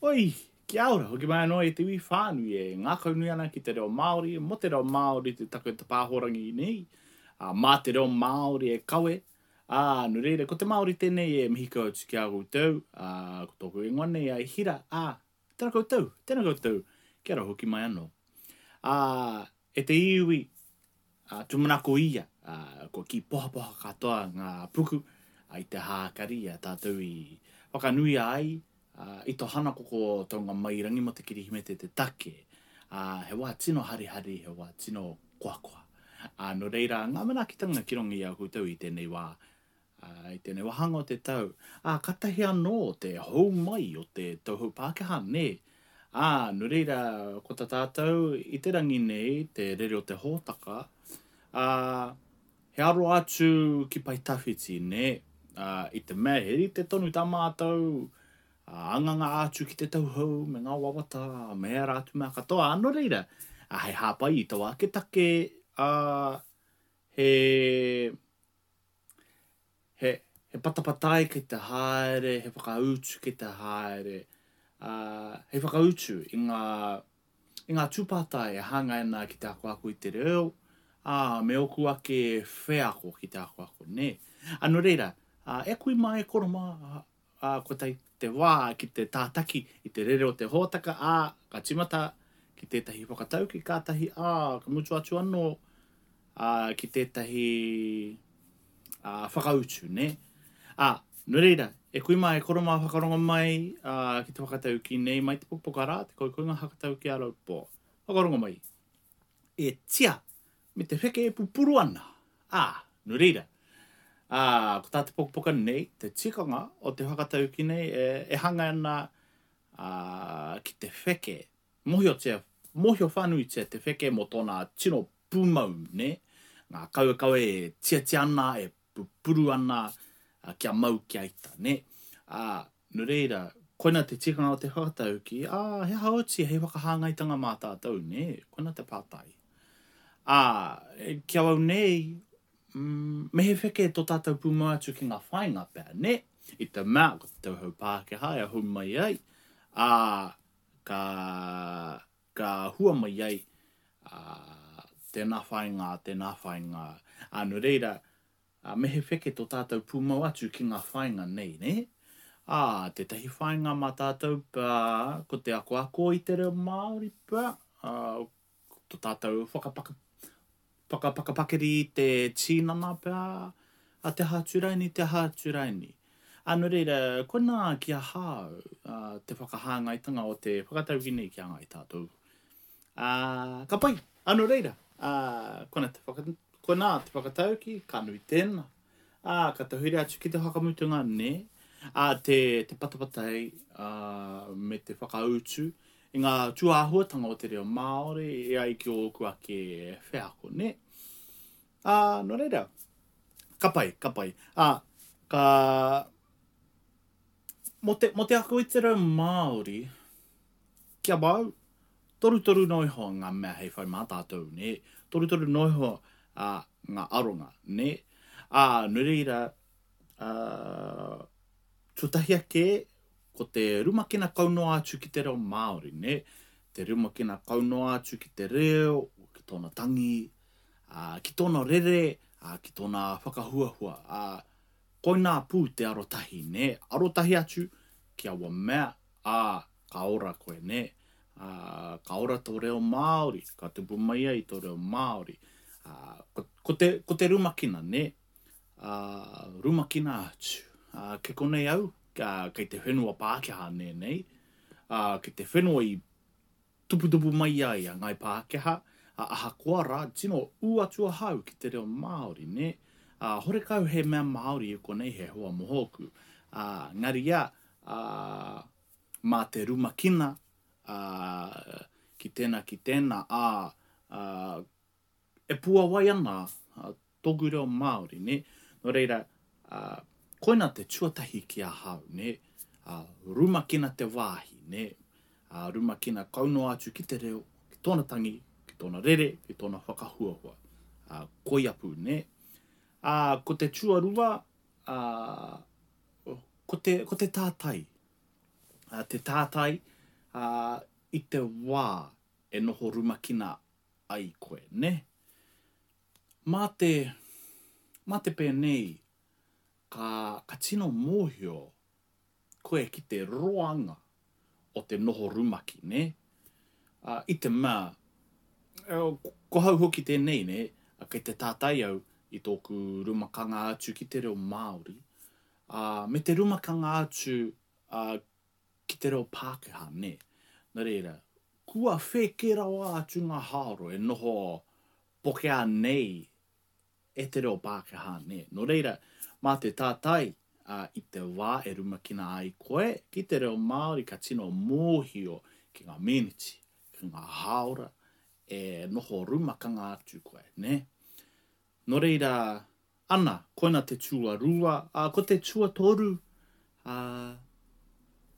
Oi, kia ora, hoki mai anō e te iwi whānui e ngākaunui ana ki te reo Māori, mō te reo Māori te take o te pāhorangi nei, ā, mā te reo Māori e kawe, ā, nō reira, ko te Māori tēnei e mihi kau atu ki a koutou, ā, ko tōku ingoa nei a Hira, ā, tēnā koutou, tēnā koutou, kia ora hoki mai anō. Ā, e te iwi, ā, tūmanako ia, ā, kua kī pohapoha katoa ngā puku, ā, i te hākari i a tātou i whakanuia ai, ā, i tō hanakoko o Taungamairangi mō te Kirihimete te take, ā, he wā tino harihari, he wā tino koakoa. Ā, nō reira, ngā manaakitanga ki runga i a koutou i tēnei wā, Ā, i tēnei wāhanga o te tau, ā, kātahi anō te hou mai o te tauhou Pākehā, nē? Ā, nō reira, ko tā tātou i te rangi nei, te rere o te hōtaka, ā, he aro atu ki pae tawhiti, nē? Ā, i te mea he rite tonu tā mātou, ā, anganga atu ki te tauhou me ngā wawata, me ērā atu mea katoa, ā, nō reira, ā, hei hāpai i taua ake take, ā, he, He, he patapatai kei te haere, he whakautu kei te haere, ā, hei whakautu i ngā, i ngā tūpātai e hāngai ana ki te akoako i te reo, ā, me ōku ake wheako ki te akoako, nē. Ā, nō reira, ā, e kui mā, e koro mā, ā, kua tae te wā ki te tātaki i te rere o te hōtaka, ā, ka tīmata ki tētahi whakatauki kātahi, ā, ka mutu atu anō, ā, ki tētahi, ā, whakautu, nē. Ā, nō reira, e kui mā, e koro mā, whakarongo mai, ā, ki te whakatauki nei, mai te pukapuka rā, te koukounga hakatauki a Raupō. Whakarongo mai. E tia, me te wheke e pupuru ana. Ā, nō reira, ā, ko tā te pukapuka nei, te tikanga o te whakatauki nei e, e hanga ana, ā, ki te wheke. Mōhiotia, mōhio whānuitia te wheke mō tōna tino pūmau, nē? Ngā kawekawe e tiatia ana, e pupuru ana, kia mau kia ita, nē? Ā, nō reira, koina te tikanga o te whakatauki, ā, he aha oti hei whakahāngaitanga mā tātou, nē? Koina te pātai. Ā, ki awau nei, mm, me he wheke tō tātou pūmau atu ki ngā whāinga pea, nē? I te mea, ko te tauhou Pākehā e hou mai ai, ā, ka, ka hua mai ai, ā, tēnā whāinga, tēnā whāinga. Ā, nō reira, ā, me he wheke tō tātou pūmau atu ki ngā whāinga nei, nē? Ā, tētahi whāinga mā tātou pea, ko te akoako i te reo Māori pea, ā, to tātou whakapaka, whakapakapakiri i te tīnana pea, a te aha atu raini, te aha atu raini. Ā, nō reira, koinā ki ahau te whakahāngaitanga o te whakatauki nei ki a Ngāi Tātou. Ā, ka pai! Ā, nō reira, ā, koinā te whaka, koinā te whakatauki, ka nui tēnā. Ā, ka tahuri atu ki te whakamutunga, nē, ā, te, te patapatai, ā, me te whakautu i ngā tūāhuatanga o te reo Māori e ai ki ōku ake wheako, nē? Ā, nō reira, ka pai, ka pai. Ā, ka... Mō te, mō te ako i te reo Māori, ki awau, torutoru noa iho ngā mea hei whai mā tātou, nē? Torutoru noa iho ā, ngā aronga, nē? Ā, nō reira, ā, tuatahi ake, Ko te rumakina kau noa atu ki te reo Māori, nē? Te rumakina kau noa atu ki te reo, ki tōna tangi, ā, ki tōna rere, ā, ki tōna whakahuahua, ā, koinā pū te arotahi, nē? Arotahi atu ki aua mea, ā, ka ora koe, nē? Ā, ka ora tō reo Māori, ka tupu mai ai tō reo Māori. Ā, ko, ko te, ko te rumakina, nē? Ā, rumakina atu. Ā, kei konei au, ā, kei te whenua Pākehā nēnei, ā, kei te whenua i tuputupu mai ai a Ngāi Pākehā, ā, ahakoa rā, tino ū atu ahau ki te reo Māori, nē? Ā, horekau he mea Māori i konei he hoa mōku. Ā, engari ia, ā, mā te rumakina, ā, ki tēnā, ki tēnā, ā, ā, e puawai ana tōku reo Māori, nē? Nō reira, koina te tuatahi ki ahau, nē? Rumakina te wāhi, nē? Rumakina kau noa atu ki te reo, ki tōna tangi, ki tōna rere, ki tōna whakahuahua. Koia pū, nē? Ko te tuarua, ko te, ko te tātai. Te tātai, ā, i te wā e noho rumakina ai koe, nē? Mā te, mā te pēnei, ka, ka tino mōhio koe ki te roanga o te noho rumaki, nē? Ā, i te mea, ko hau hoki tēnei, nē, kei te tātai au i tōku rumakanga atu ki te reo Māori, ā, me te rumakanga atu, ā, ki te reo Pākehā, nē. Nō reira, kua whēkē rawa atu ngā haoro e noho pokea nei e te reo Pākehā, nē. Nō reira, mā te tātai, ā, i te wā e rumakina ai koe ki te reo Māori ka tino mōhio ki ngā meneti, ki ngā hāora e noho rumakanga atu koe, nē. Nō reira, ana, koina te tuarua, ā, ko te tuatoru, ā,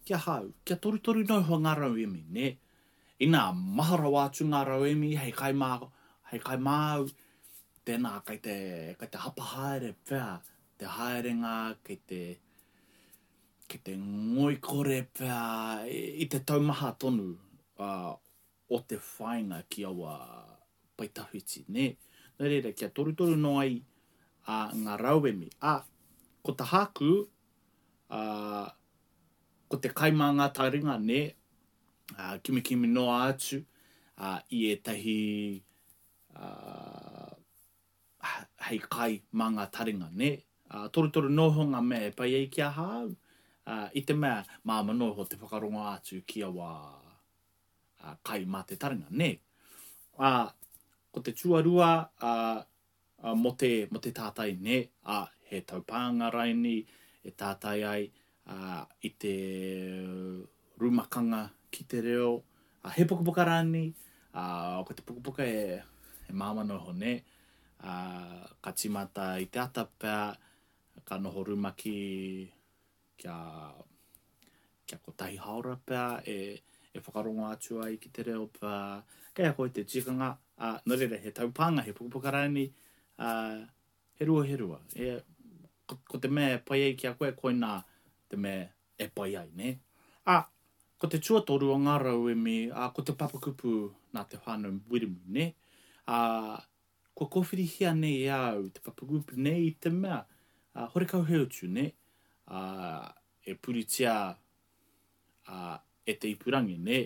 ki ahau, kia torutoru noa iho ngā rauemi, nē. Inā, maha rawa atu ngā rauemi hei kai mā, hei kai māu, tēnā kei te, kei te hapa haere pea te haerenga, kei te, kei te ngoikore pea i te taumaha tonu, ā, o te whāinga ki aua pae tawhiti, nē? Nō reira, kia torutoru noa ai a, ngā rauemi. Ā, ko ta hāku, ā, ko te kai mā ngā taringa, nē? Ā, kimikimi noa atu, ā, i ētahi, ā, hei kai mā ngā taringa, nē? Ā, torutoru noa iho ngā mea e pai ai ki ahau, ā, i te mea māmā noa iho te whakarongo atu ki aua, ā, kai mā te taringa, nē? Ā, ko te tuarua, ā, ā, mō te, mō te tātai, nē? Ā, he taupānga raini e tātai ai, ā, i te rumakanga ki te reo, ā, he pukapuka rānei, ā, ko te pukapuka e, e māmā noa iho, nē? Ā, ka tīmata i te ata pea, ka noho rumaki kia, kia kotahi haora pea e, e whakarongo atu ai ki te reo pea, kei a koe te tikanga, ā, nō reira, he taupānga, he pukapuka rānei, ā, he rua, he rua. E, ko, ko te mea e pai ai ki a koe, koinā te mea e pai ai, nē? Ā, ko te tuatoru o ngā rauemi, ā, ko te papakupu nā te whānau Wiremu, nē? Ā, Kua kōwhirihia nei e a au te papakupu nei i te mea, ā, horekau he utu, nē? Ā, e puritia, ā, e te ipurangi, nē?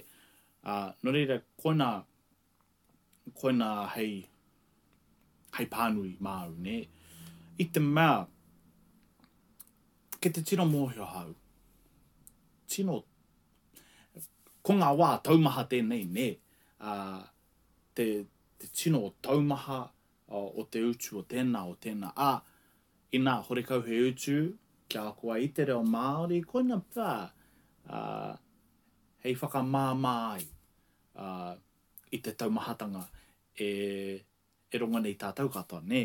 Ā, nō reira, koinā, koinā hei, hei pānui māu, nē? I te mea, kei te tino mōhio ahau, tino, ko ngā wā taumaha tēnei, nē? Ā, te, te tino taumaha o te utu o tēnā, o tēnā. Ā, inā, horekau he utu kia ako ai i te reo Māori, koina pea, ā, hei whakamāmā ai, ā, i te taumahatanga e, e rongo nei tātou katoa, nē?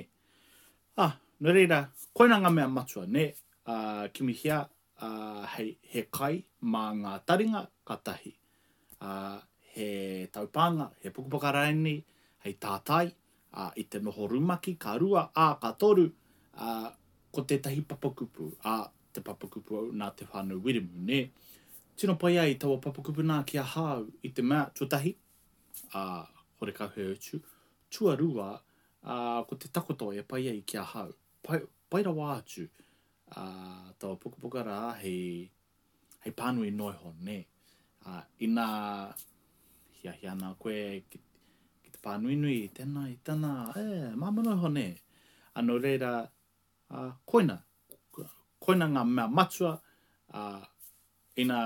Ā, nō reira, koina ngā mea matua, nē? Ā, kimihia, ā, hei, he kai mā ngā taringa, ka tahi. Ā, he taupānga, he pukapuka rānei hei tātai, ā, i te noho rumaki, ka rua, ā, ka toru, ā, ko tētahi papakupu, ā, te papakupu nā Te Whānau Wiremu, nē? Tino pai ai taua papakupu nā ki ahau i te mea, tuatahi, ā, horekau he utu, tuarua, ā, ko te takoto e pai ai ki ahau, pai, pai rawa atu, ā, taua pukapuka rā hei, hei pānui noa iho, nē. Ā, inā hiahia ana koe ki, ki te pānuinui i tēnā, i tēnā, e, māmā noa iho, nē. Ā, nō reira, ā, koina, koina ngā mea matua, ā, ina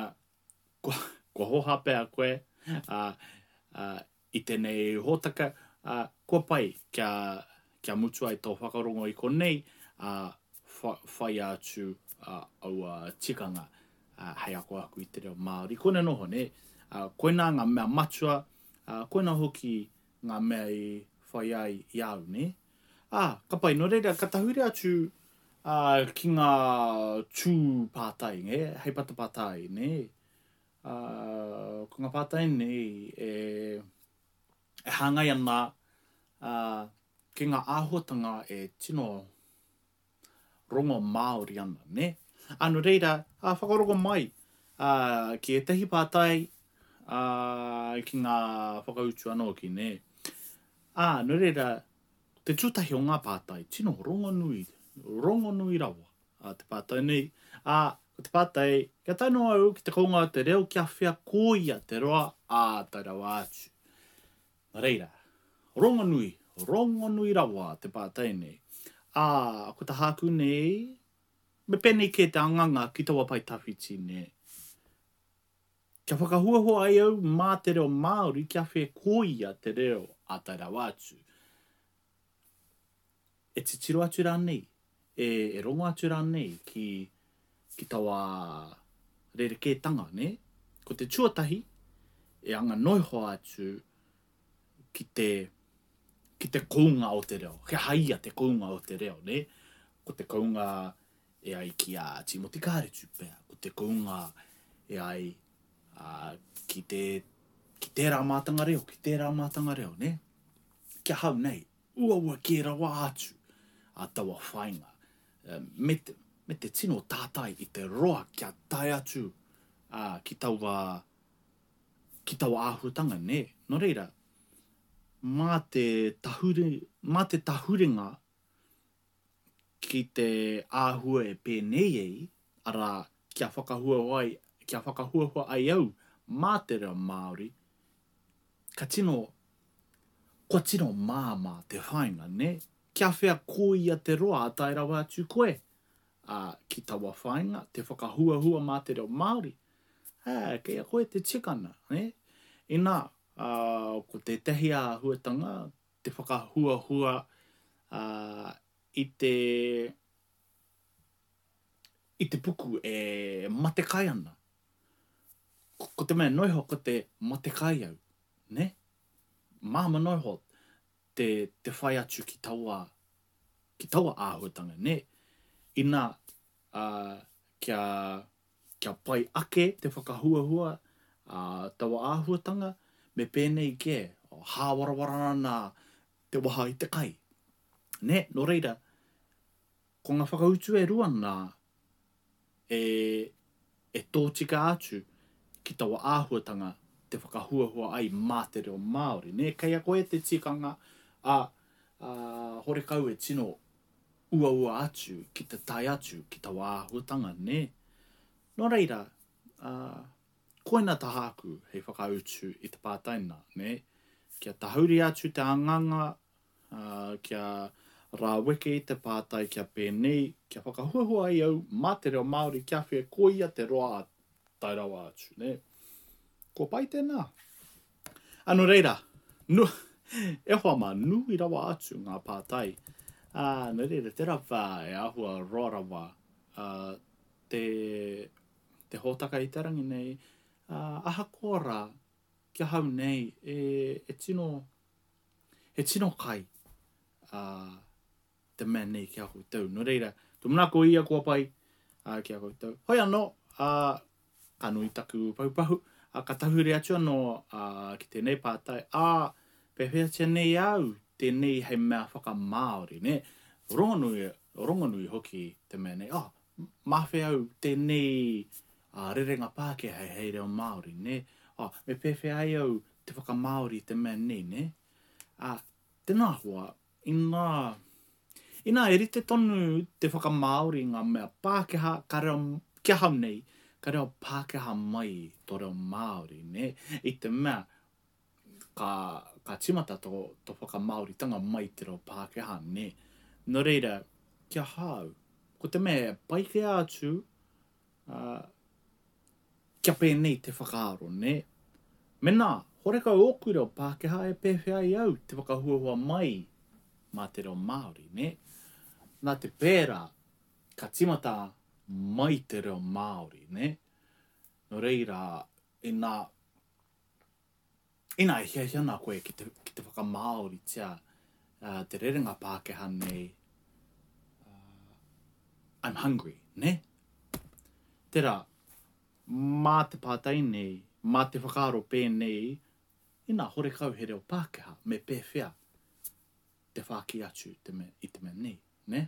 kua, kua hōhā pea koe, ā, ā, i tēnei hōtaka, ā, kua pai kia, kia mutu ai tō whakarongo i konei, ā, whaia atu aua tikanga hei akoako i te reo Māori. Koina noho, nē? Ā, koinā ngā mea matua, ā, koinā hoki ngā mea i whai ai i a au, nē? Ā, ka pai, nō reira, ka tahuri atu ā, ki ngā tū pātai, nē? Hei patapātai, nē? Ā, ko ngā pātai nei e, e hāngai ana ā, ki ngā āhuatanga e tino rongo Māori ana, nē? Ā, nō reira, ā, whakarongo mai ā, ki ētahi pātai, ā, ki ngā whakautu anō ki nē. Ā, nō reira, te tūtahi o ngā pātai, tino rongonui, rongonui rawa ā, te pātai nei. Ā, ko te pātai, kia tae noa au ki te kounga o te reo kia whea koia te roa, ā, tae rawa atu. Nō reira, rongonui, rongonui rawa te pātai nei. Ā, ko ta hāku nei, me pēnei kē te anganga ki taua pae tawhiti nē. Kia whakahuahua ai au mā te reo Māori kia whēkoia te reo a tae rawa atu. E titiro atu rānei, e, e rongo atu rānei ki, ki taua rerekētanga, nē? Ko te tuatahi, e anga noiho atu ki te, ki te kounga o te reo. He aha ia te kounga o te reo, nē? Ko te kounga e ai ki a Tīmoti Kāretu pea, ko te kounga e ai ā, ki te, ki tērā mātanga reo, ki tērā mātanga reo, nē? Ki ahau nei, uaua kē rawa atu a taua whāinga, me te, me te tino tātai i te roa kia tae atu ā, ki taua, ki taua āhuatanga, nē? Nō reira, mā te tahuri, mā te tahuringa ki te āhua e pēnei ai, arā, kia whakahuahua ai, kia whakahuahua ai au mā te reo Māori, ka tino, kua tino māmā te whāinga, nē? Kia whea koia te roa a tae rawa atu koe, ā, ki taua whāinga, te whakahuahua mā te reo Māori, ā, kei a koe te tikanga, nē? Inā, ā, ko tētahi āhuatanga, te whakahuahua i te i te puku e matekai ana. Ko te mea noa iho ko te matekai au, ne? Māmā noa iho te, te whai atu ki taua, ki taua āhuatanga, ne? Ina, uh, kia, kia pai ake te whakahuahua ā taua āhuatanga, me pēnei kē, hāwarawara ana te waha i te kai. Nē, nō reira, ko ngā whakautu e rua nā e, e tōtika atu ki taua āhuatanga te whakahuahua ai mā te reo Māori. Nē, kei a koe te tikanga, ā, ā, horekau e tino uaua atu ki te tae atu ki taua āhuatanga, nē? Nō reira, ā, koina tāku hei whakautu i te pātai nā, nē? Kia tahuri atu te anganga, ā, kia rāweke i te pātai kia pēnei, kia whakahuahua ai au mā te reo Māori kia whē koia te roa a tae rawa atu, nē? Kua pai tēnā? Ā, nō reira, nu, e hoa mā, nui rawa atu ngā pātai. Ā, nō reira, tērā pea e āhua roa rawa ā, te, te hōtaka i te rangi nei, ā, ahakoa rā, ki ahau nei, e, e tino, he tino kai, ā, te mea nei ki a koutou. Nō reira, tūmanako ia kua pai ā, ki a koutou. Hoi anō, ā, ka nui taku pahupahu, ā, ka tahuri atu anō ā, ki tēnei pātai, ā, pēwheatia nei au tēnei hei mea whakamāori, nē? Rongonui, rongonui hoki te mea nei, oh, mā whea au tēnei ā, rerenga Pākehā hei reo Māori, nē? Oh, me pēwhea ai au te whakamāori i te mea nei, nē? Ā, tēnā hoa, Inā, inā e rite tonu te whakamāori i ngā mea Pākehā, ka reo, ki ahau nei, ka reo Pākehā mai tō reo Māori, nē? I te mea, ka, ka tīmata tō, tō whakamāoritanga mai i te reo Pākehā, nē? Nō reira, ki ahau, ko te mea e pai kē atu, ā, Kia pēnei te whakaaro, nē? Menā, horekau ōku reo Pākehā e pēwhea ai au te whakahuahua mai mā te reo Māori, nē? Nā te pērā, ka tīmata mai te reo Māori, nē? Nō reira, inā, inā e hiahia ana koe ki te, ki te whakamāoritia uh, te rerenga Pākehā nei, uh, I'm hungry, nē? Tērā, mā te pātai nei, mā te whakaaro pēnei, inā horekau he reo Pākehā, me pēwhea te whāki atu te mea, i te mea nei, nē?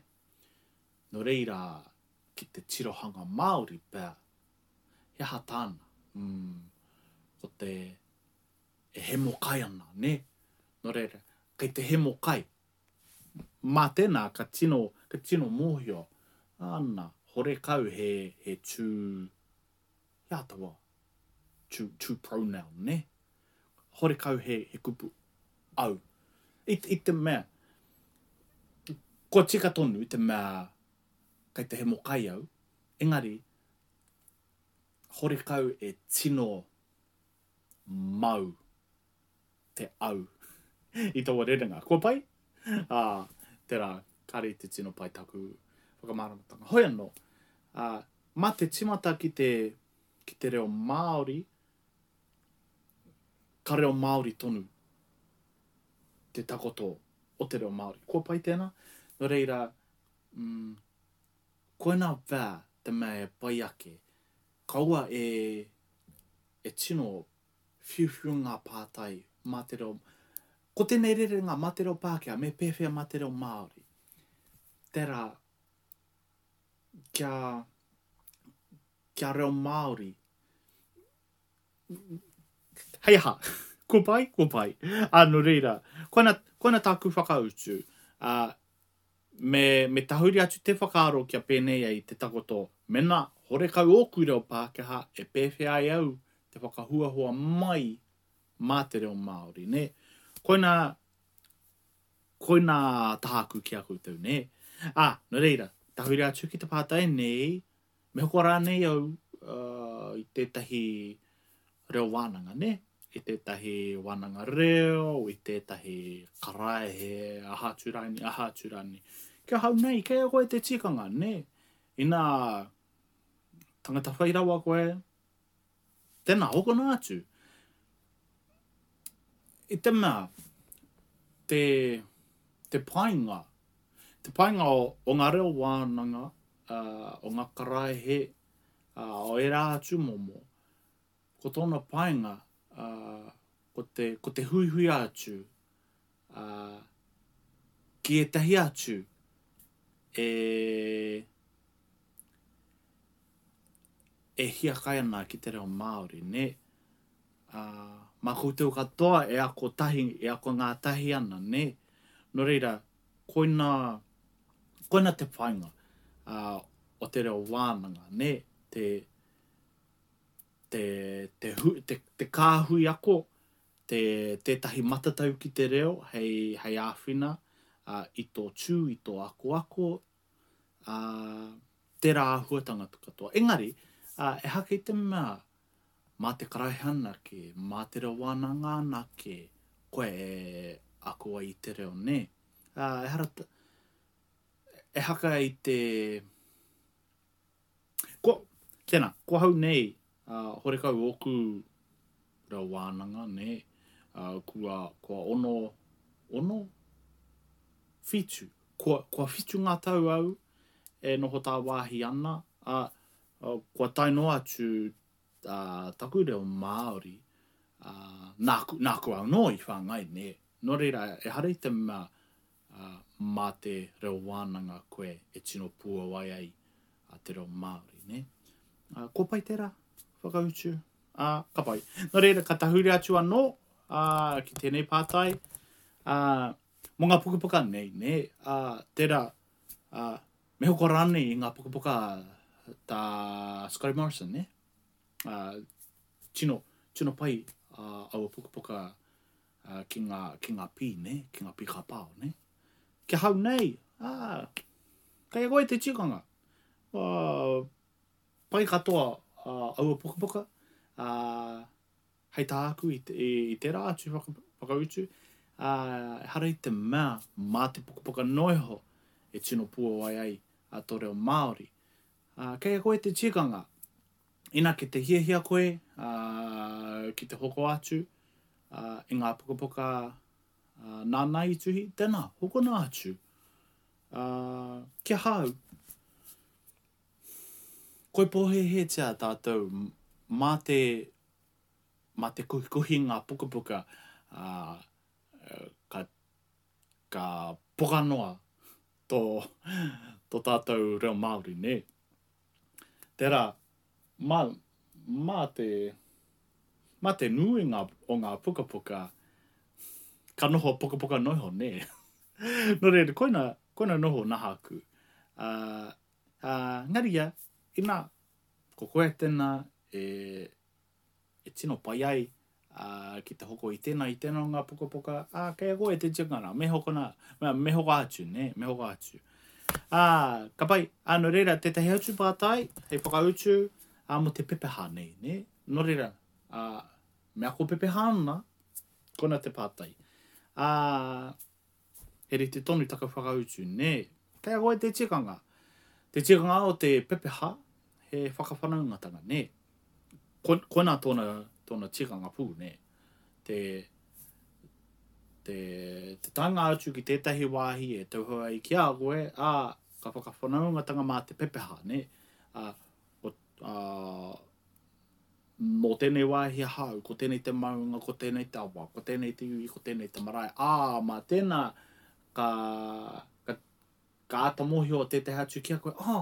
Nō reira, ki te tirohanga Māori pea, he aha tāna? Mm. Ko te e hemo kai ana, nē? Nō reira, kei te hemo kai. Mā tēnā ka tino, ka tino mōhio, ana, horekau he, he tū, he aha taua tū, tū pronoun, nē? Horekau he, he kupu au. I, i te mea, kua tika tonu i te mea kei te hemo kai au, engari, horekau e tino mau te au i taua rerenga. Kua pai? Ā, tērā, kāre i te tino pai taku whakamāramatanga. Hoi anō, ā, mā te tīmata ki te, ki te reo Māori, ka reo Māori tonu te takoto o te reo Māori. Kua pai tēnā? Nō reira, mm, koinā pea te mea e pai ake. Kaua e, e tino whiuwhiu ngā pātai mā te reo, ko tēnei rerenga mā te reo Pākehā, me pēwhea mā te reo Māori? Tērā, kia, kia reo Māori. Hei aha, kua pai, kua pai. Ā, nō reira, koina, koina tāku whakautu. Ā, me, me tahuri atu te whakaaro kia pēnei ai te takoto, mena horekau ōku reo Pākehā e pēwhea ai au te whakahuahua mai mā te reo Māori, nē? Koina, koina tāku ki a koutou, nē? Ā, nō reira, tahuri atu ki te pātai nei, Me hoko rānei au i tētahi reo wānanga, nē? I tētahi wānanga reo, i tētahi karaehe, aha atu rānei, aha atu rānei. Ki ahau nei, kei a koe te tikanga, nē? Inā tangata whai rawa koe, tēnā, hokona atu. I te mea, te, te painga, te painga o, o ngā reo wānanga, o ngā karaehe, o ērā atu momo, ko tōna painga, ko te, ko te huihui atu ki ētahi atu e, e hiakai ana ki te reo Māori, nē? Ā, mā koutou katoa e ako tahi, e ako ngātahi ana, nē? Nō reira, koina, koina te painga ā, o te reo wānanga, nē? Te, te, te, hu, te, te kāhui ako, te, tētahi matatau ki te reo hei, hei āwhina ā, i tō tū, i tō akoako, ā, tērā āhuatanga katoa. Engari, ā, ehake i te mea mā te karaehe anake, mā te reo wānanga anake koe e ako ai i te reo, nē? Ā, ehara, ehaka i te... Ko, tēnā, ko ahau nei, ā, horekau ōku reo wānanga, nē, ā, kua, kua ono, ono? Whitu. Kua, kua whitu ngā tau au e noho tāwāhi ana, ā, kua tae noa atu ā, taku reo Māori, ā, nāku, nāku anō i whāngai, nē. Nō reira, ehara i te mea, ā, mā te reo wānanga koe e tino puawai ai a te reo Māori, nē. Ā, kua pai tērā whakautu? Ā, ka pai. Nō reira, ka tahuri atu anō, ā, ki tēnei pātai, ā, mō ngā pukapuka nei, nē, ā, tērā, ā, me hoko rānei i ngā pukapuka tā Scotty Morrison, nē? Ā, tino, tino pai ā, aua pukapuka ā, ki ngā, ki ngā pī, nē, ki ngā pī kāpao, nē? Ki ahau nei, ā, kei a koe te tikanga. Ā, pai katoa ā, aua pukapuka, ā, Hei tāku i, i, i tērā atu whaka, whakautu, ā, ehara i te mea mā te pukapuka noa iho e tino puawai ai a tō reo Māori. Ā, kei a koe te tikanga, ina ki te hiahia koe ā, ki te hoko atu ā, i ngā pukapuka ā, nāna i tuhi, tēnā, hokona atu. Ā, ki ahau, koi pōhēhētia tātou mā te mā te kohikohi ngā pukapuka, ā, ka, ka poka noa tō, tō tātou reo Māori, nē? Tērā, mā, mā te, mā te nuinga o ngā pukapuka, ka noho pukapuka noa iho, nē? Nō reira, koina, koina noho nahaku. Ā, ā, engari ia, inā, ko koe tēnā e, e tino pai ai ā, ki te hoko i tēnā, i tēnā o ngā pukapuka, ā, kei a koe te tikanga, me hokona, me, me hoko atu, nē, me hoko atu. Ā, ka pai, ā, nō reira, tētahi atu pātai, hei whakautu, ā, mō te pepeha nei, nē? Nō reira, ā, me ako pepeha ana, kona te pātai. Ā, he rite tonu taku whakautu, nē? Kei a koe te tikanga. Te tikanga o te pepeha, he whakawhanaungatanga, nē? Ko, koina tōna, tōna tikanga pū, nē? Te, te, te taenga atu ki tētahi wāhi e tauhou ai ki a koe, ā, ka whakawhanaungatanga mā te pepeha, nē? Ā, ko, ā, nō tēnei wāhi ahau, ko tēnei te maunga, ko tēnei te awa, ko tēnei te iwi, ko tēnei te marae, ā, mā tēnā ka, ka, ka āta mōhio tētahi atu ki a koe, ā,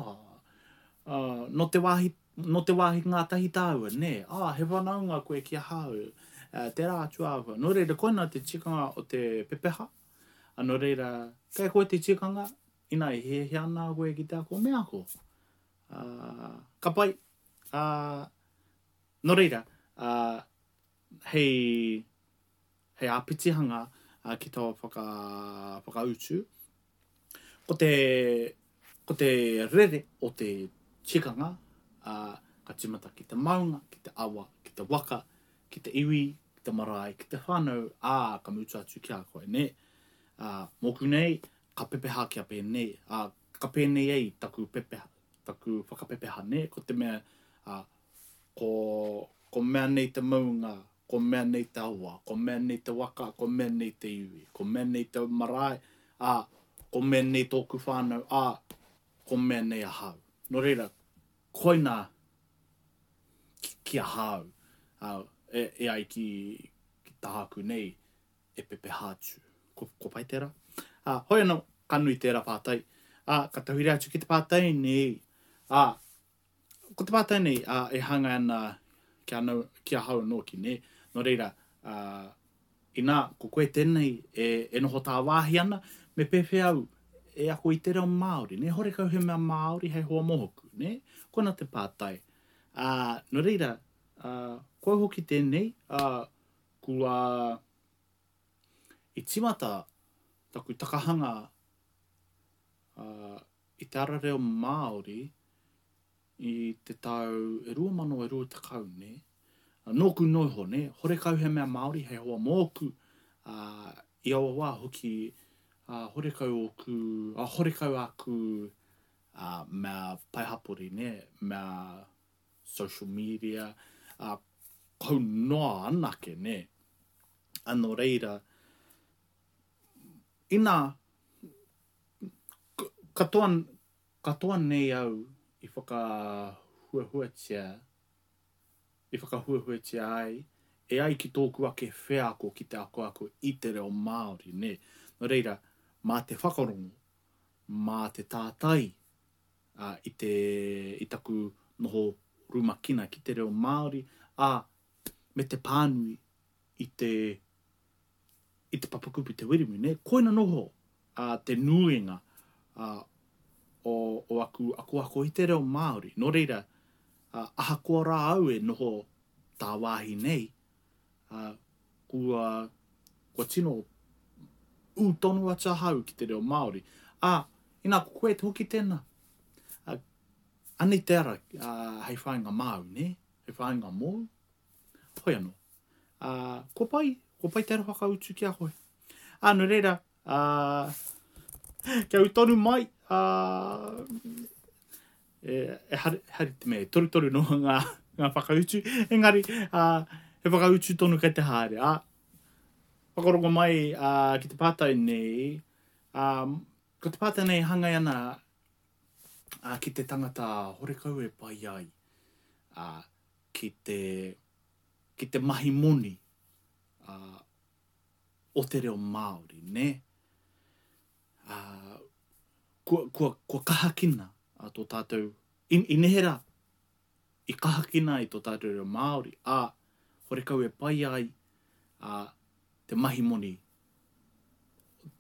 ā, nō te wāhi, nō te wāhi ngātahi tāua, nē, ā, he whanaunga koe ki ahau, ā, tērā atu āhua. Nō reira, koinā te tikanga o te pepeha, ā, nō reira, kei a koe te tikanga, inā e hiahia ana koe ki te ako, me ako. Ā, ka pai, Ā, nō reira, ā, hei, hei āpitihanga ki taua whaka, whakautu, ko te, ko te rere o te tikanga, ā, ka tīmata ki te maunga, ki te awa, ki te waka, ki te iwi, ki te marae, ki te whānau, ā, ka mutu atu ki a koe, nē? Ā, mōku nei, ka pepeha kia pēnei, ā, ka pēnei ai taku pepeha, taku whakapepeha, nē, ko te mea, ā, ko, ko mea nei te maunga, ko mea nei te awa, ko mea nei te waka, ko mea nei te iwi, ko mea nei te marae, ā, ko mea nei tōku whānau, ā, ko mea nei ahau. Nō reira, koinā ki, ki ahau, ā, e, e ai ki, ki tāku nei, e pepeha atu. Ko, ko pai tērā? Ā, hoi anō, ka nui tērā pātai. Ā, ka tauhiri atu ki te pātai nei. Ā, ko te pātai nei, ā, e hāngai ana ki, anau, ki ahau nōki, nē? Nō reira, ā, inā, ko koe tēnei e, e noho tāwāhi ana, me pēwhea au e ako i te reo Māori, nē? Horekau he mea Māori hei hoa mōku, nē? Koina te pātai. Ā, nō reira, ā, ko au hoki tēnei, ā, Kua i tīmata taku takahanga i te ara reo Māori i te tau e 2020, nē. Nōku noa iho, nē, horekau he mea Māori hei hoa mōku, ā, i aua wā hoki, ā, horekau ōku, ā, horekau āku, ā, mea pae hapori, nē, mea social media, ā, kau noa anake, nē. Ā, nō reira, inā, katoa, katoa nei au i whakahuahuatia, i whakahuahuatia ai, e ai ki tōku ake wheako ki te akoako i te reo Māori, nē. Nō reira, mā te whakarongo, mā te tātai ā, i te, i taku noho rumakina ki te reo Māori, ā, me te pānui i te, i te papakupu Te Wiremu, nē? Koina noho, ā, te nuinga, ā, o, o aku akoako i te reo Māori. Nō reira, ā, ahakoa rā au e noho tāwāhi nei, ā, kua, kua tino ū tonu atu ahau ki te reo Māori. Ā, inā ko koe hoki tēnā. Ā, anei te ara ā, hei whāinga māu, nē? Hei whāinga mōu. Hoi anō. Ā, kua pai, kua pai te ara whakautu ki a koe. Ā, nō reira, ā, kia ū tonu mai, ā, e, e hari, hari te mea, e torutoru noa ngā, ngā whakautu, engari, ā, he whakautu tonu kei te haere, ā, whakarongo mai ā, ki te pātai nei, ā, ko te pātai nei e hāngai ana ā, ki te tangata horekau e pai ai ā, ki te, ki te mahi moni ā, o te reo Māori, nē? Ā, kua, kua, kua kahakina ā, tō tātou, i, i neherā, i kahakina ai tō tātou reo Māori, ā, Horekau e pai ai a, te mahi moni,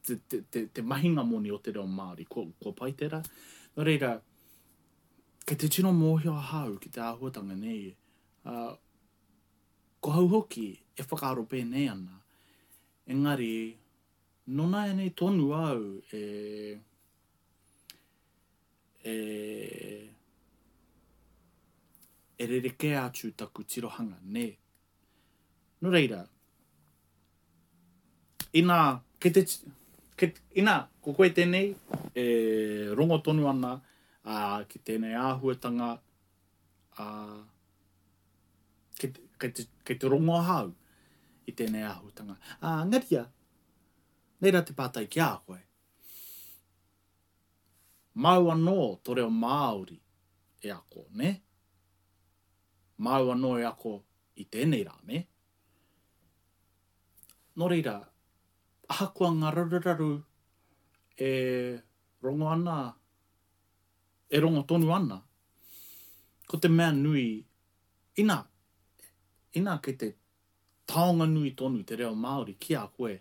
te, te, te, te mahinga moni o te reo Māori. Kua, kua pai tērā? Nō reira, kei te tino mōhio ahau ki te āhuatanga nei. Uh, ko hau hoki e whakaaro pēnei ana, engari, nō nāianei tonu au e, e, e rerekē atu taku tirohanga, nē. Nō reira, inā, kei te, kei, inā, ko koe tēnei e rongo tonu ana ā, ki tēnei āhuatanga, ā, kei, kei, te, kei te rongo ahau i tēnei āhuatanga. Ā, engari ia, nei rā te pātai ki a koe. Māu anō tō reo Māori e ako, nē? Māu anō e ako i tēnei rā, nē? Nō reira, ahakoa ngā raruraru e rongo ana, e rongo tonu ana, ko te mea nui, inā, inā kei te taonga nui tonu te reo Māori ki a koe,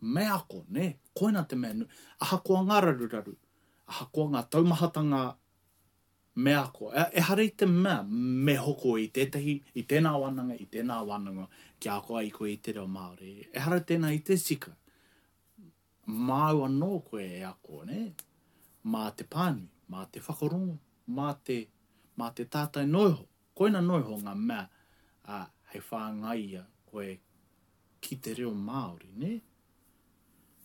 me ako, nē? Koina te mea nui. Ahakoa ngā raruraru, ahakoa ngā taumahatanga Me ako. Ehara i te mea me hoko i tētahi, i tēnā wānanga, i tēnā wānanga kia ako ai koe i te reo Māori. Ehara tēnā i te tika. Māu anō koe e ako, nē? Mā te pānui, mā te whakarongo, mā te, mā te tātai noa iho. Koina noa iho ngā mea, ā, hei whāngaia koe ki te reo Māori, nē?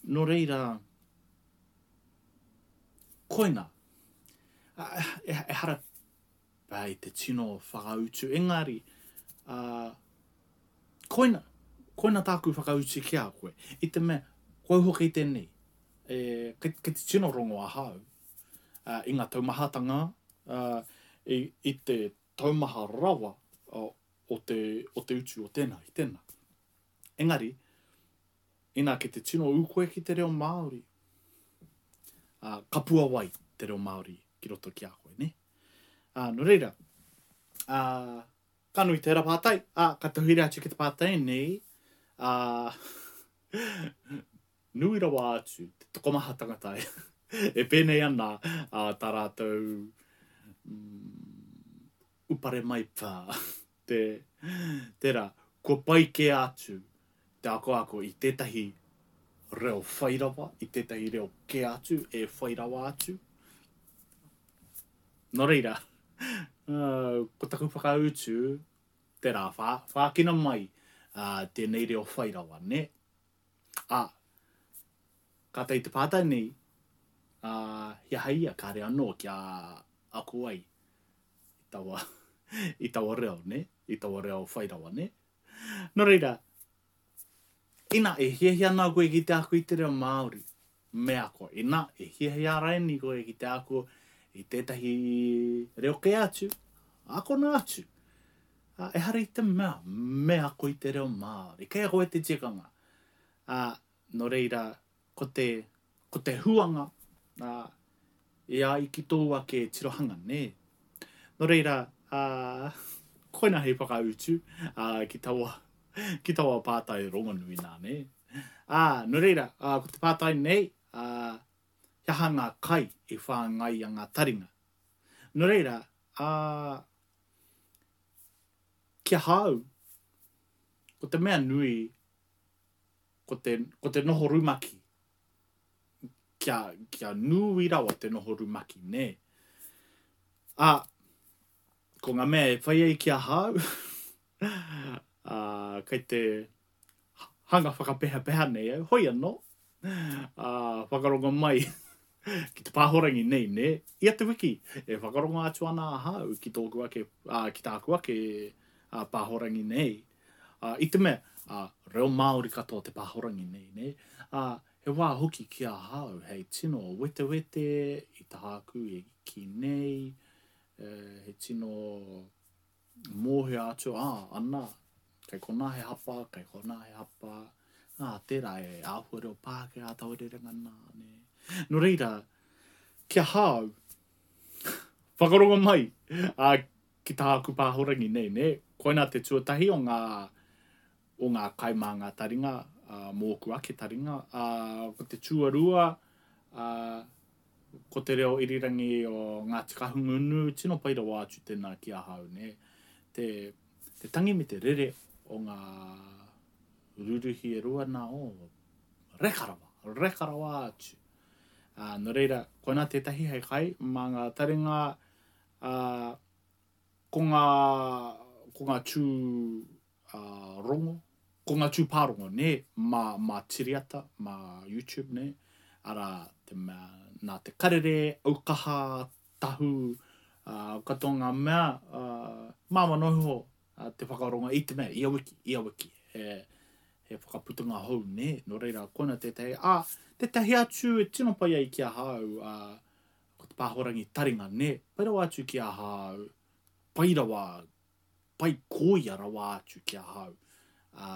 Nō reira, koina, ehara pea i te tino whakautu, engari, koina, koina tāku whakautu ki a koe, i te mea, ko au hoki tēnei, e, kei, kei te tino rongo ahau, i ngā taumahatanga, i, i te taumaha rawa o te, o te utu o tēnā i tēnā. Engari, Inā, kei te tino ū koe ki te reo Māori, ā, ka puawai te reo Māori ki roto ki a koe, nē? Ā, nō reira, ā, ka nui tērā pātai, ā, ka tauhiri atu ki te pātai nei, ā, nui rawa atu te tokomaha tangata e pēnei ana ā, tā rātou mm, upare mai pā, te, tērā, kua pai kē atu te akoako i tētahi reo whai rawa, i tētahi reo kē atu e whai rawa atu. Nō reira, ko taku whakautu, tērā, whā, whākina mai uh, tēnei reo whai rawa, nē? Ā, kātahi te pātai nei, ā, he aha ia kāre anō kia ako ai i taua, i taua reo, nē? I taua reo whai rawa, nē? Nō reira, ina e hiahia ana koe ki te ako i te reo Māori, me ako. Ina e hiahia raini koe ki te ako i tētahi reo kē atu, akona atu. Ā, ehara i te mea me ako i te reo Māori. Kei a koe te tikanga. Ā, nō reira, ko te, ko te huanga, ā, e ai ki tōu ake tirohanga, nē? Nō reira, ā, koina hei whakautu, ā, ki taua, ki taua pātai rongonui nā, nē? Ā, nō reira, ā, ko te pātai nei, ā, he aha ngā kai i whāngaia ngā taringa? Nō reira, ā, ki ahau, ko te mea nui, ko te, ko te noho rumaki, kia, kia nui rawa te noho rumaki, nē. Ā, ko ngā mea e whai ai ki ahau, ā, kei te hanga whakapehapeha nei au, hoi anō, ā, whakarongo mai ki te pāhorangi nei, nē, ia te wiki e whakarongo atu ana ahau ki tōku ake, ā, ki tāku ake ā, pāhorangi nei, Ā, i te mea, ā, reo Māori katoa te pāhorangi nei, nē? Ā, he wā hoki ki ahau hei tino wetewete i tāku e kī nei, e, he tino mōhio atu, ā, ana, kei konā he hapa, kei konā he hapa, ā, tērā e āhua reo Pākehā taua rerenga nā, nē. Nō reira, ki ahau, whakarongo mai, ā, ki tāku pāhorangi nei, nē? Koina te tuatahi o ngā, o ngā kai mā ngā taringa, ā, mōku ake taringa. Ā, ko te tuarua, ā, ko te reo irirangi o Ngāti Kahungunu, tino pai rawa atu tēnā ki ahau, nē. Te, te tangi me te rere o ngā ruruhi e rua nā, oh, reka rawa, reka rawa atu. Ā, nō reira, koinā tētahi hei kai mā ngā taringa, ā, ko ngā, ko ngā tū ā, rongo, ko ngā tū pārongo, nē, mā, mā Tiriata, mā YouTube, nē, arā, te mea, nā te karere, aukaha, tahu, ā, katoa ngā mea, ā, māmā noa iho te whakarongo i te mea, ia wiki, ia wiki, he, he whakaputanga hou, nē, nō reira, koina tētahi, ā, tētahi atu e tino pai ai ki ahau, ā, ko te pāhorangi taringa, nē, pai rawa atu ki ahau, pai rawa, pai kōia rawa atu ki ahau, ā,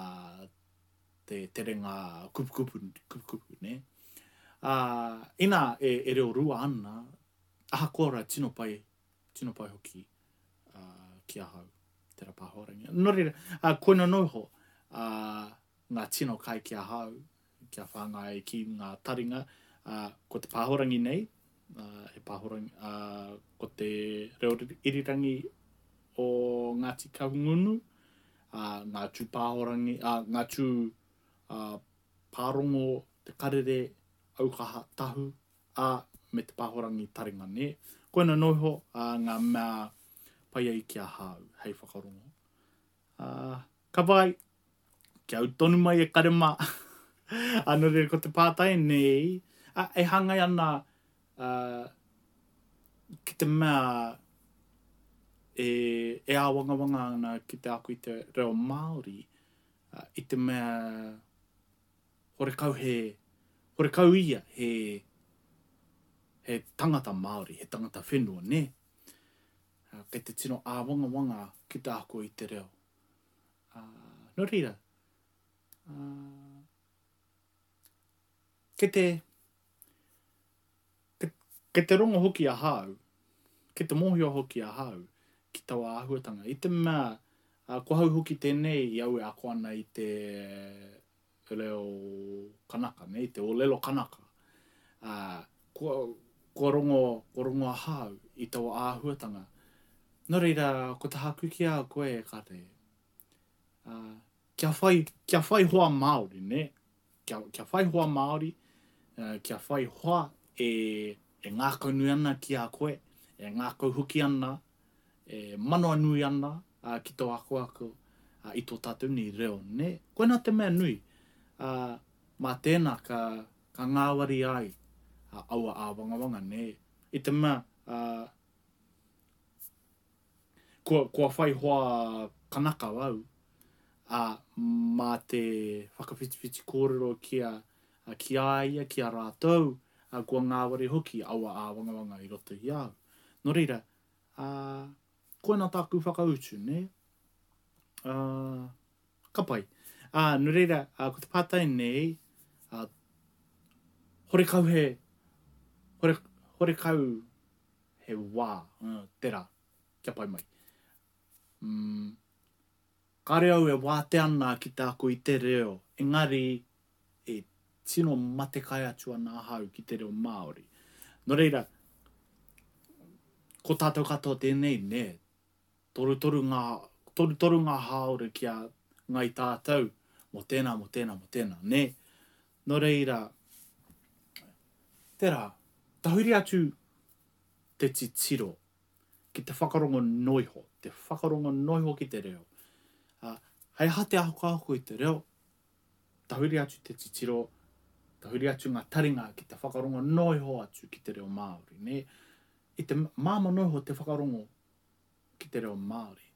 te terenga kupukupu, kupukupu, nē. Ā, inā e, e reo rua ana, ahakoa rā tino pai, tino pai hoki, ā, ki ahau, te rā pāhorangi. Nō reira, ā, koina noa iho, ā, ngā tino kai ki ahau, kia whāngai ki ngā taringa, ā, ko te pāhorangi nei, ā, he pāhorangi, ā, ko te reo irirangi o Ngāti Kahungunu, ā, ngā tū pāhorangi, ā, ngā tū, ā, pārongo, te karere, aukaha, tahu, ā, me te pāhorangi taringa, nē. Koina noa iho, ā, ngā mea pai ai ki ahau hei whakarongo. Ā, ka pai! Kia au tonu mai e kare mā. Ā, nō reira, ko te pātai nei, ā, e hāngai ana, ā, ki te mea e, e āwangawanga ana ki te ako i te reo Māori, ā, i te mea horekau he, horekau ia he, he tangata Māori, he tangata whenua, nē? Ā, kei te tino āwangawanga ki te ako i te reo. Ā, nō reira, ā, kei te, kei, kei te rongo hoki ahau, kei te mōhio hoki ahau ki taua āhuatanga. I te mea, ā, ko hau hoki tēnei i au e ako ana i te reo kanaka, nei, te ōlelo kanaka. Ā, kua, kua rongo, kua rongo ahau i taua āhuatanga. Nō reira, ko tāku ki a koe, e Kare, ā, kia whai, kia whai hoa Māori, nē? Kia, kia whai hoa Māori, ā, kia whai hoa e, e ngākaunui ana ki a koe, e ngākau hoki ana, e manawanui ana ā, ki tō akoako ā, i tō tātou nei reo, nē? Koinā te mea nui, ā, mā tēnā ka, ka ngāwari ai ā, aua āwangawanga, nē? I te mea, ā, kua, kua whai hoa kanaka au, ā, mā te whakawhitiwhiti kōrero ki a, ki a ia, ki a rātou, ā, kua ngāwari hoki aua āwangawanga i roto i a au. Nō reira, ā, koina tāku whakautu, nē? Ā, ka pai. Ā, nō reira, ā, ko te pātai nei, ā, horekau he, hore, horekau he wā, ā, tērā, kia pai mai. Mm, kāre au e wātea ana ki te ako i te reo, engari e tino matekai atu ana ahau ki te reo Māori. Nō reira, ko tātou katoa tēnei, nē, torutoru ngā, torutoru ngā hāora ki a Ngāi Tātou mō tēnā, mō tēnā, mō tēnā, nē. Nō reira, tērā, tahuri atu te titiro ki te whakarongo noa iho, te whakarongo noa iho ki te reo. Ā, hei aha te akoako i te reo, Tahuri atu te titiro, tahuri atu ngā taringa ki te whakarongo noa iho atu ki te reo Māori, nē? I te māmā noa iho te whakarongo ki te reo Māori.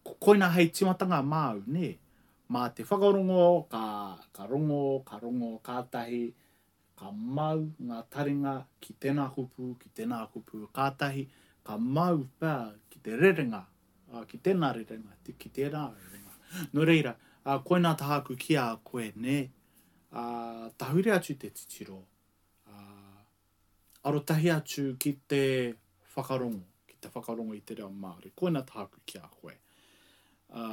Ko koina hei tīmatanga māu, nē? Mā te whakarongo, ka, ka rongo, ka rongo, kātahi ka mau ngā taringa ki tēnā kupu, ki tēnā kupu, kātahi ka mau pea ki te rerenga, ki tēnā rerenga, ki tērā rerenga. Nō reira, koinā tāku ki a koe, nē, tahuri atu te titiro, arotahi atu ki te whakarongo, ki te whakarongo i te reo Māori. Koinā tāku ki a koe. Ā,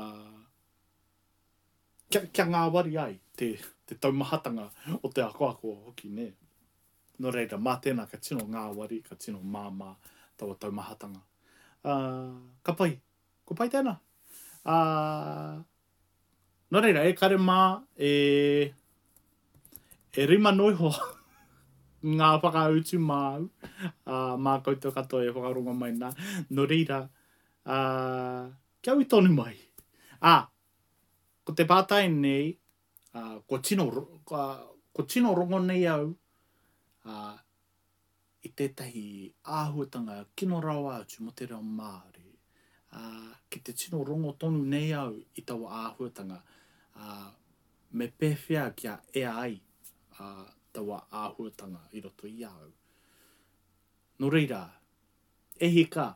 kia, kia ngāwari ai te, te taumahatanga o te akoako hoki, nē. Nō reira, mā tēnā ka tino ngāwari, ka tino māmā taua taumahatanga. Ā, ka pai. Ko pai tēnā. Ā, nō reira, e kare mā, e, e rima noa iho ngā whakautu māu, ā, mā koutou katoa e whakarongo mai nā. Nō reira, ā, kia ū tonu mai. Ā, ko te pātai nei, ā, kua tino, kua, kua tino rongo nei au, ā, i tētahi āhuatanga kino rawa atu mō te reo Māori, ā, ki te tino rongo tonu nei au i taua āhuatanga, ā, me pēwhea kia ea ai, ā, taua āhuatanga i roto i a au. Nō reira, e hika,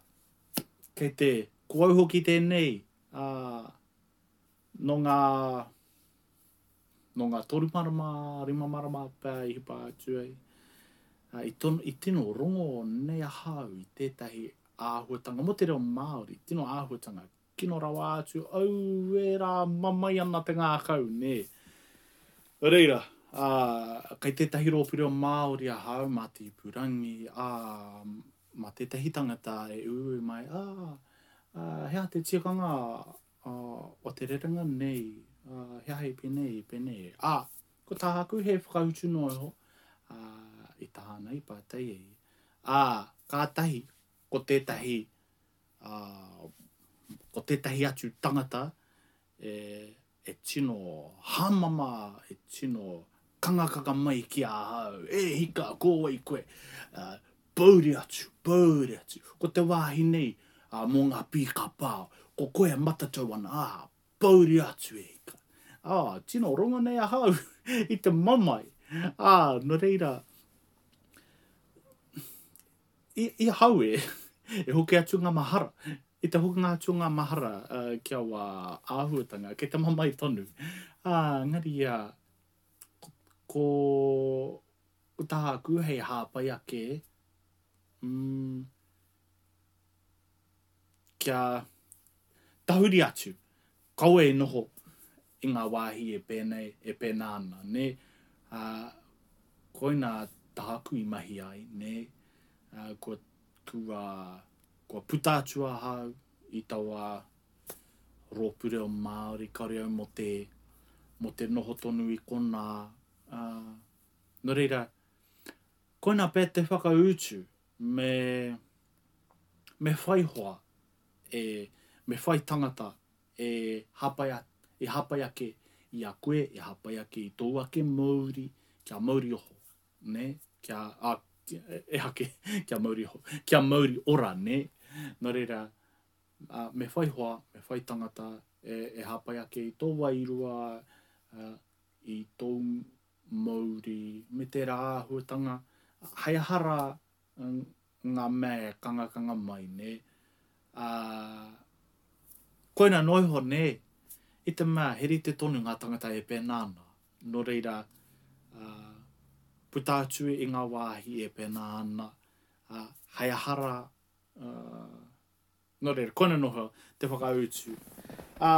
kei te, ko au hoki tēnei, ā, nō ngā, nō ngā toru marama, rima marama pea i hipa atu ai, ā, i tono, i tino rongo nei ahau i tētahi āhuatanga mō te reo Māori, tino āhuatanga kino rawa atu, auē rā, mamae ana te ngākau, nē. Nō reira, ā, kei tētahi rōpū reo Māori ahau mā te ipurangi, ā, mā tētahi tangata e uiui mai, ā, ā, he aha te tikanga, ā, o te rerenga nei, ā, he aha i pēnei, i pēnei, ā, ko tāku he whakautu noa iho, ā, i tāna i pātai ai, ā, kātahi ko tētahi, ā, ko tētahi atu tangata e, e tino hāmama, e tino kangakanga mai ki ahau, e hika, ko wai koe, ā, pōuri atu, pōuri atu, ko te wāhi nei, ā, mō ngā pīka pao, ko koe e matatau ana, ā, pōuri atu e hika. Ā, tino rongo nei ahau i te mamae, ā, nō reira, I, i ahau e, e hoki atu ngā mahara, i te hokinga atu o ngā mahara uh, ki aua āhuatanga, kei te mamae tonu. Ā, engari ia, ko, ko, ko tāku hei hāpai ake, mm, kia tahuri atu, kaua e noho i ngā wāhi e pēnei, e pēnā ana, nē? Ā, koinā tāku i mahi ai, nē? Ā, kua, kua, kua puta atu ahau i taua rōpū reo Māori, kāore au mō te, mō te noho tonu i konā, ā, nō reira, koinā pea te whakautu, me, me whai hoa, e, me whai tangata e hāpai, e hāpai ake i a koe, e hāpai ake i tōu ake mouri, kia mauri oho, nē, kia, ā, ehake, kia mauri oho, kia mauri ora, nē. Nō reira, ā, me whai hoa, me whai tangata e, e hāpai ake i tō wairua, ā, i tōu mouri, me tērā āhuatanga, hei aha rā ngā mea e kangakanga mai, nē. Ā, koina noa iho, nē, i te mea he rite tonu ngā tangata e pēnā ana. Nō reira, ā, puta atu i ngā wāhi e pēnā ana, ā, hei aha rā, ā, Nō reira, koina noho te whakautu. Ā,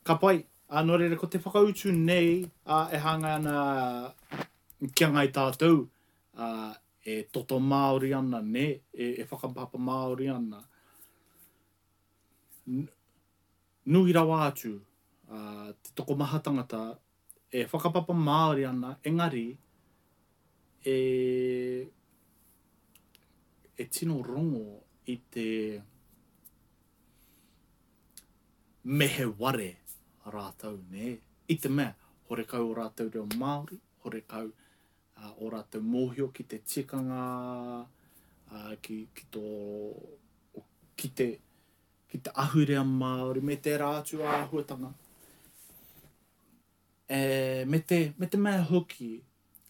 ka pai. Ā, nō reira, ko te whakautu nei, ā, e hāngai ana ki a Ngāi Tātou, ā, e toto Māori ana, nē, e, e whakapapa Māori ana. Nui rawa atu, ā, te tokomaha tangata e whakapapa Māori ana, engari, e, e tino rongo i te me he ware rātou, nē? I te mea, horekau ō rātou reo Māori, horekau uh, ō rātou mōhio ki te tikanga, uh, ki, ki tō, ki te, ki te ahurea Māori me tērā atu āhuatanga. E, me, te, me te mea hoki,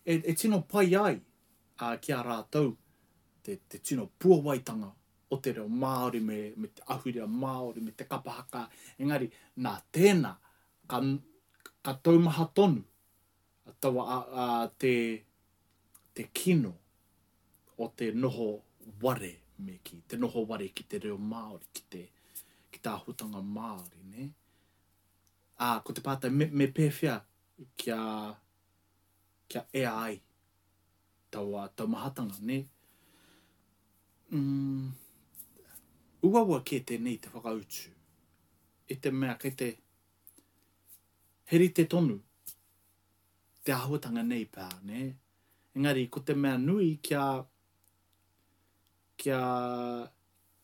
e, e tino pai ai a, ki a rātou te, te tino puawaitanga o te reo Māori me, me te ahurea Māori me te kapa haka, engari nā tēnā ka, ka taumaha tonu taua a, a, te, te kino o te noho ware, me kī, te noho ware ki te reo Māori, ki te, ki te āhuatanga Māori, nē? Ā, ko te pātai, me, me pēwhea kia, kia ea ai taua taumahatanga, nē? Mm, uaua kē tēnei te whakautu, i te mea kei te, he rite tonu te āhuatanga nei pea, nē? Engari, ko te mea nui kia, kia,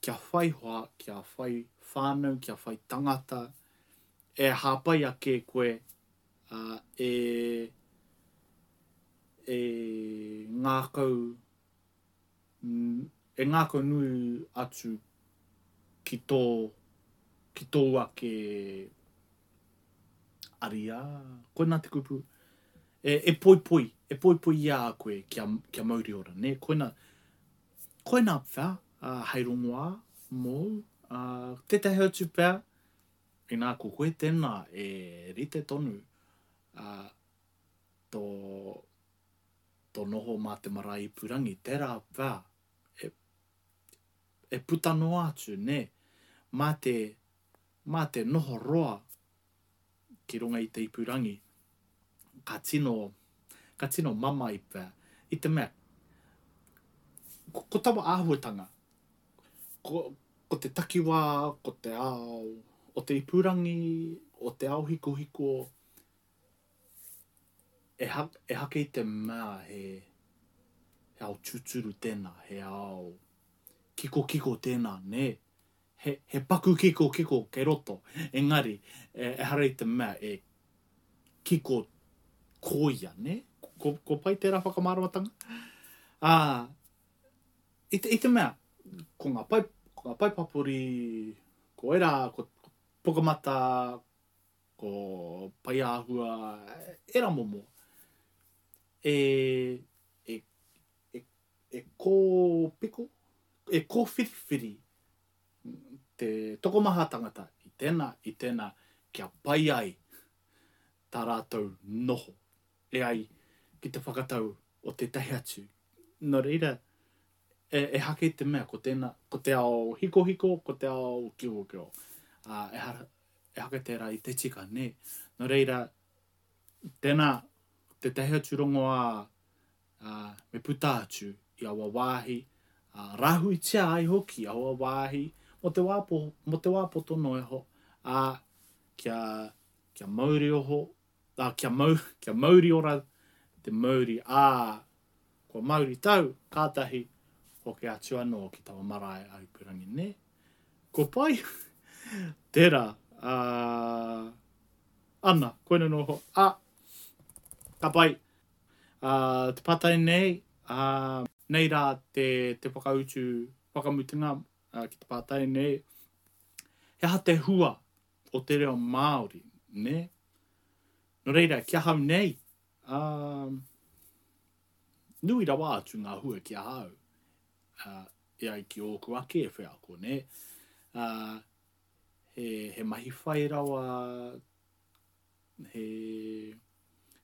kia whai hoa, kia whai whānau, kia whai tangata, e hāpai ake koe, ā, e, e ngākau, e ngākau nui atu ki tō, ki tōu ake ariā, koinā te kupu, e, e poipoi, e poipoi i a koe kia, kia mauri ora, nē, koinā, koinā pea, ā, hei rongoā mōu, ā, tētahi atu pea, inā ko koe tēnā e rite tonu, ā, tō, tō noho mā te marae ipurangi, tērā pea, e, e puta noa atu, nē, mā te, mā te noho roa ki runga i te ipurangi, ka tino, ka tino mamae pea, i te mea, ko, ko taua āhuatanga, ko, ko te takiwā, ko te ao o te ipurangi, o te ao hikohiko, e, ha, ehake i te mea he, he ao tūturu tēnā, he ao kikokiko tēnā, nē? He, he paku kikokiko kei roto, engari, e, ehara i te mea e kiko koia, nē? Ko, ko pai tērā whakamāramatanga? Ā, i te, i te mea, ko ngā pae, ko ngā pae papori, ko ērā, ko, ko Pukamata, ko Paiāhua, ērā momo, e, e, e, e kōpiko, e kōwhiriwhiri te tokomaha tangata i tēnā, i tēnā, kia pai ai tā rātou noho e ai ki te whakatau o tētahi atu. Nō reira, e, ehake i te mea ko tēnā, ko te ao hikohiko, ko te ao kikokiko. Ā, ehara, ehake tērā i te tika, nē. Nō reira, tēnā, tētahi atu rongoā, ā, me puta atu i aua wāhi, ā, rāhuitia ai hoki aua wāhi mō te wā po, mō te wā poto noa iho, ā, kia, kia mauri oho, ā, kia mau, kia mauri ora te mauri, ā, kua mauri tau, kātahi hoki atu anō ki taua marae a Ipurangi, nē? Kua pai? Tērā, ā, ana, koina noa iho, ā, ka pai. Ā, te pātai nei, ā, nei rā te, te whakautu whakamutunga ki te pātai nei, he aha te hua o te reo Māori, nē? Nō reira, ki ahau nei, ā, nui rawa atu ngā hua ki ahau, ā, e ai ki ōku ake wheako, nē? Ā, he, he mahi whai rawa, he,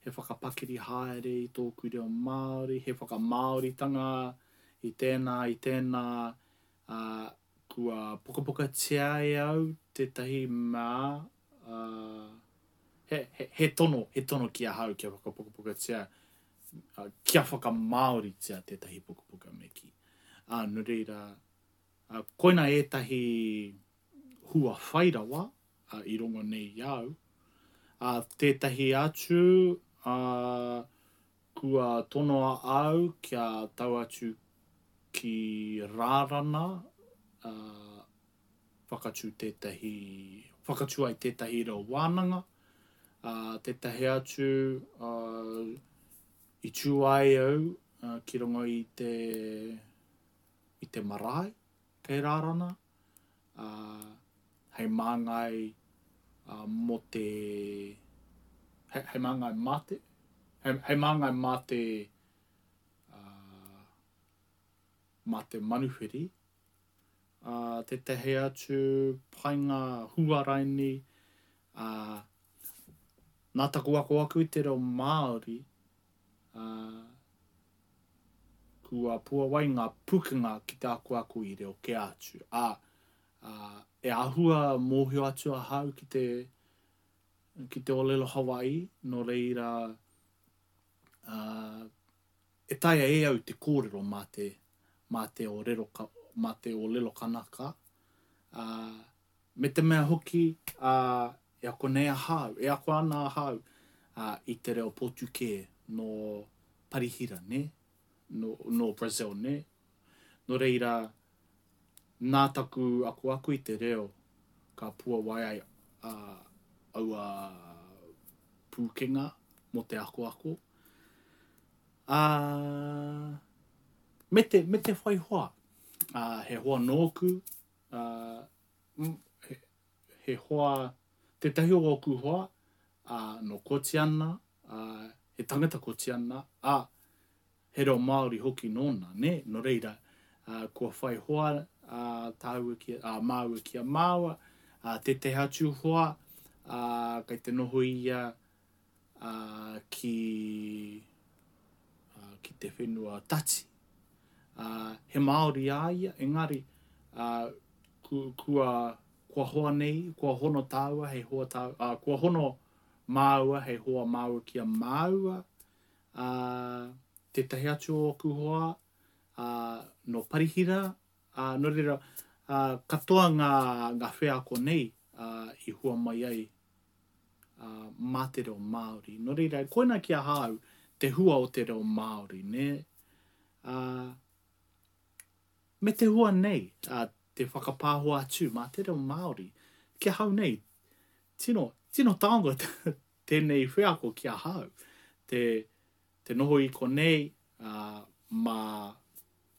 he whakapakiri haere i tōku reo Māori, he whakamāoritanga i tēnā, i tēnā, ā, kua pukapukatia e au tētahi mea, ā, he, he, he tono, he tono ki ahau kia whakapukapukatia, ā, kia whakamāoritia tētahi pukapuka me kī. Ā, nō reira, ā, koina ētahi hua whai rawa, ā, i rongo nei i a au. Ā, tētahi atu, ā, kua tonoa au kia tau atu ki Rārana, ā, whakatū tētahi, whakatū ai tētahi reo wānanga, ā, tētahi atu, ā, i tū ai au ki runga i te, i te marae kei Rārana, ā, hei māngai mō te, hei, hei māngai mā te, hei, hei māngai mā te, ā, mā te manuwhiri, ā, tētahi atu painga huaraini, ā, nā taku ako aku i te reo Māori, ā, kua puawai ngā pukenga ki te akoako i reo kē atu, ā, ā, e āhua mōhio atu ahau ki te, ki te ōlelo Hawaii, nō reira, ā, e taea e au te kōrero mā te, mā te ōrero, mā te ōlelo Kanaka, ā, me te mea hoki, ā, e ako nei ahau, e ako ana ahau, ā, i te reo Pōtukē nō Parihira, nē, nō, nō Brazil, nē. Nō reira, nā taku akoako i te reo ka puawai ai a, aua pūkenga mō te akoako. Ā, me te, me te whai hoa. Ā, he hoa nōku, ā, he, he hoa, tētahi o ōku hoa, ā, nō Kotiana, ā, he tangata Kotiana, ā, he reo Māori hoki nōna, nē? Nō reira, ā, kua whai hoa, ā, tāua ki, ā, māua ki a māua, ā, tētahi atu hoa, ā, kei te noho ia, ā, ki, ā, ki te whenua Tati. Ā, he Māori a ia, engari, ā, ku, kua, kua hoa nei, kua hono tāua hei hoa tāua, ā, kua hono māua hei hoa māua ki a māua, ā, tētahi atu o ōku hoa, ā, nō Parihira, ā, nō reira, ā, katoa ngā, ngā wheako nei, ā, i hua mai ai, ā, mā te reo Māori. Nō reira, koina ki ahau te hua o te reo Māori, nē? Ā, me te hua nei, ā, te whakapāho atu mā te reo Māori, ki ahau nei, tino, tino taonga tēnei wheako ki ahau, te, te noho i konei, ā, mā,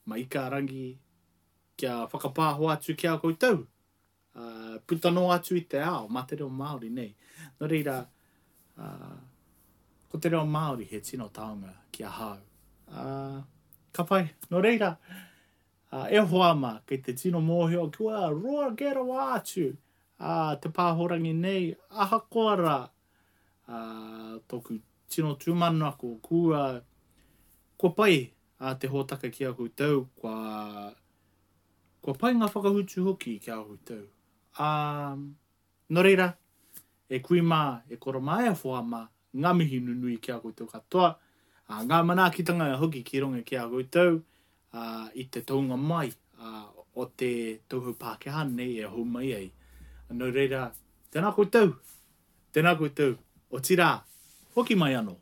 mā Ikarangi, kia whakapāho atu ki a koutou, ā, puta noa atu i te ao, mā te reo Māori nei. Nō reira, ā, ko te reo Māori he tino taonga ki ahau. Ā, ka pai. Nō reira, ā, e hoa mā, kei te tino mōhio kua roa kē rawa atu Ā, te pāhorangi nei, ahakoa rā, ā, tōku tino tūmanako, kua, kua pai, ā, te hōtaka ki a koutou, kua, kua pai ngā whakautu hoki ki a koutou. Ā, nō reira, e kui mā, e koro mā, e hoa mā, ngā mihi nunui ki a koutou katoa, ā, ngā manaakitanga hoki ki runga ki a koutou, ā, i te tounga mai, ā, o te tauhou Pākehā nei e hou mai ai. Nō reira, tēnā koutou, tēnā koutou, otirā, hoki mai anō.